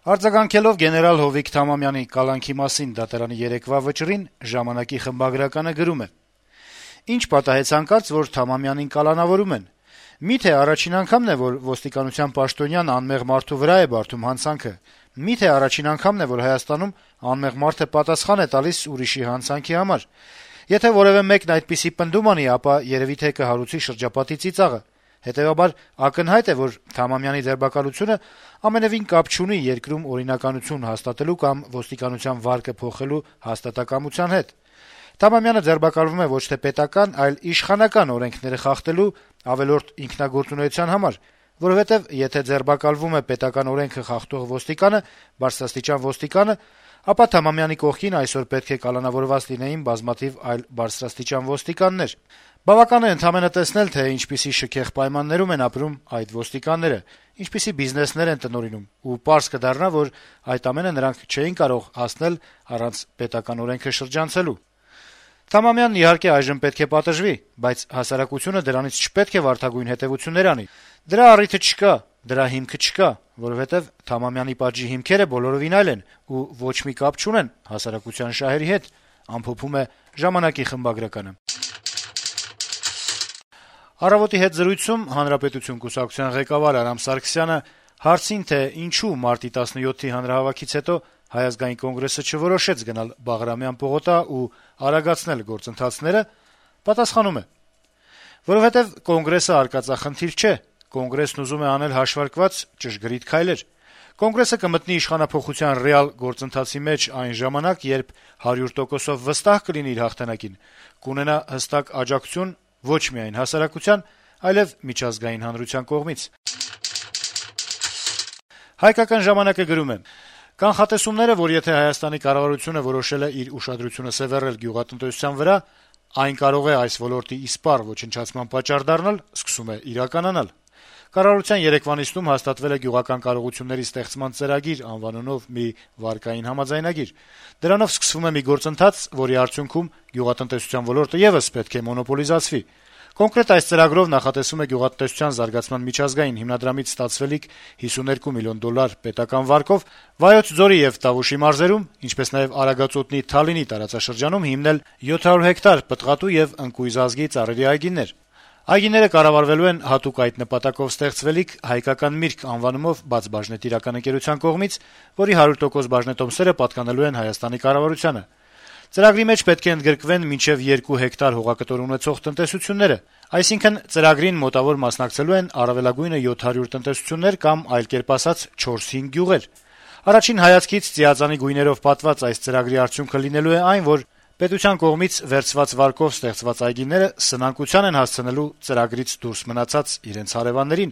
Արձագանքելով գեներալ Հովիկ Թամամյանի կալանքի մասին դատարանի երեկվա վճռին, «Ժամանակ»-ի խմբագրականը գրում է. - «Ինչ պատահեց հանկարծ, որ Թամամյանին կալանավորում են: Միթե առաջին անգամն է, որ ոստիկանության պաշտոնյան անմեղ մարդու վրա է բարդում հանցանքը: Միթե առաջին անգամն է, որ Հայաստանում անմեղ մարդը պատասխան է տալիս ուրիշի հանցանքի համար: Եթե որեւէ մեկն այդպիսի պնդում անի, ապա երեւի թե կհարուցի շրջապատի ծիծաղը: Հետեւաբար ակնհայտ է, որ Թամամյանի ձերբակալությունը ամենեւին կապ չունի երկրում օրինականություն հաստատելու կամ ոստիկանության վարկը փոխելու հաստատակամության հետ: Թամամյանը ձերբակալվում է ոչ թե պետական, այլ իշխանական օրենքները խախտելու ավելորդ ինքնագործունեության համար, որովհետեւ եթե ձերբակալվում է պետական օրենքը խախտող ոստիկանը, բարձրաստիճան ոստիկանը, ապա Թամամյանի կողքին այսօր պետք է կալանավորված լինեին բազմաթիվ այլ բարձրաստիճան ոստիկաններ: Բավական է ընդամենը տեսնել, թե ինչպիսի շքեղ պայմաններում են ապրում այդ ոստիկանները, ինչպիսի բիզնեսներ են տնօրինում, ու պարզ կդառնա, որ այդ ամենը նրանք չէին կարող հասնել առանց պետական օրենքը շրջանցելու: Թամամյանն իհարկե այժմ պետք է պատժվի, բայց հասարակությունը դրանից չպետք է վարդագույն հետեւություններ անի: Դրա առիթը չկա, դրա հիմքը չկա, որովհետեւ Թամամյանի պատժի հիմքերը բոլորովին այլ են ու ոչ մի կապ չունեն հասարակության շահերի հետ»: «Առավոտ»-ի հետ զրույցում «Հանրապետություն» կուսակցության ղեկավար Արամ Սարգսյանը հարցին, թե ինչու մարտի 17-ի հանրահավաքից հետո Հայ ազգային կոնգրեսը չորոշեց գնալ Բաղրամյան պողոտա ու արագացնել գործընթացները, պատասխանում է. - «Որովհետեւ Կոնգրեսը արկածախնդիր չէ, Կոնգրեսն ուզում է անել հաշվարկված, ճշգրիտ քայլեր: Կոնգրեսը կմտնի իշխանափոխության ռեալ գործընթացի մեջ այն ժամանակ, երբ 100%-ով վստահ կլինի իր հաղթանակին, կունենա հստակ աջակցություն ոչ միայն հասարակության, այլեւ միջազգային հանրության կողմից»: «Հայկական ժամանակ»-ը գրում է. - «Կանխատեսումները, որ եթե Հայաստանի կառավարությունը որոշել է իր ուշադրությունը սեւեռել գյուղատնտեսության վրա, այն կարող է այս ոլորտի իսպառ ոչնչացման պատճառ դառնալ, սկսում է իրականանալ: Կառավարության երեկվա նիստում հաստատվել է «Գյուղական կարողությունների ստեղծման ծրագիր» անվանունով մի վարկային համաձայնագիր: Դրանով սկսվում է մի գործընթաց, որի արդյունքում գյուղատնտեսության ոլորտը եւս պետք է մոնոպոլիզացվի: Կոնկրետ այս ծրագրով նախատեսվում է գյուղատնտեսության զարգացման միջազգային հիմնադրամից ստացվելիք $52 միլիոն պետական վարկով Վայոց ձորի եւ Տավուշի մարզերում, ինչպես նաեւ Արագածոտնի Թալինի տարածաշրջանում հիմնել 700 հեկտար պտղատու եւ ընկույզազգի ծառերի այգիներ: Այգիները կառավարվելու են հատուկ այդ նպատակով ստեղծվելիք «Հայկական միրգ» անվանումով բաց բաժնետիրական ընկերության կողմից, որի 100% բաժնետոմսերը պատկանելու են Հայաստանի կառավարությանը: Ծրագրի մեջ պետք է ընդգրկվեն մինչեւ 2 հեկտար հողակտոր ունեցող տնտեսությունները, այսինքն ծրագրին մոտավոր մասնակցելու են առավելագույնը 700 տնտեսություններ կամ, այլ կերպ ասած, 4-5 գյուղեր: Առաջին հայացքից ծիածանի գույներով պատված այս ծրագրի արդյունքը լինելու է այն, որ պետության կողմից վերցված վարկով ստեղծված այգիները սնանկության են հասցնելու ծրագրից դուրս մնացած իրենց հարեւաններին»: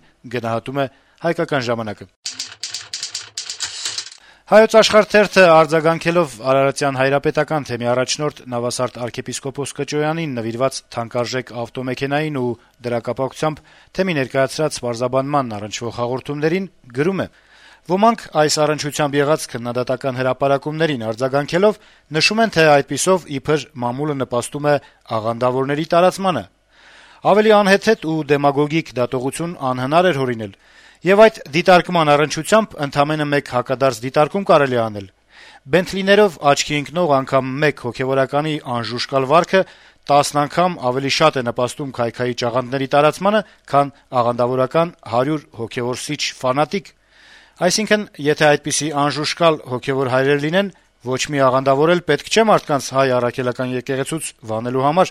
«Հայոց Աշխարհ» թերթը արձագանքելով Արարատյան հայրապետական թեմի առաջնորդ Նավասարդ arczepiskopos Կճոյանին նվիրված թանկարժեք ավտոմեքենային ու դրա կապակցությամբ թեմի ներկայացրած պարզաբանմանն առնչվող հաղորդումներին գրում է. - «Ոմանք այս առնչությամբ եղած քննադատական հրապարակումներին արձագանքելով նշում են, թե այդպիսով իբր մամուլը նպաստում է աղանդավորների տարածմանը: Ավելի անհեթեթ ու դեմագոգիկ դատողություն անհնար էր հորինել: Եվ այդ դիտարկման առնչությամբ ընդամենը մեկ հակադարձ դիտարկում կարելի է անել: Բենթլիներով աչքի ընկնող անգամ մեկ հոգեւորականի անժուշկալ վարքը 10 անգամ ավելի շատ է նպաստում քայքայիչ աղանդների տարածմանը, քան աղանդավորական 100 հոգեւոր սիչ ֆանատիկ: Այսինքն, եթե այդպիսի անժուշկալ հոգեւոր հայրեր լինեն, ոչ մի աղանդավոր էլ պետք չէ մարդկանց Հայ առաքելական եկեղեցուց վանելու համար»: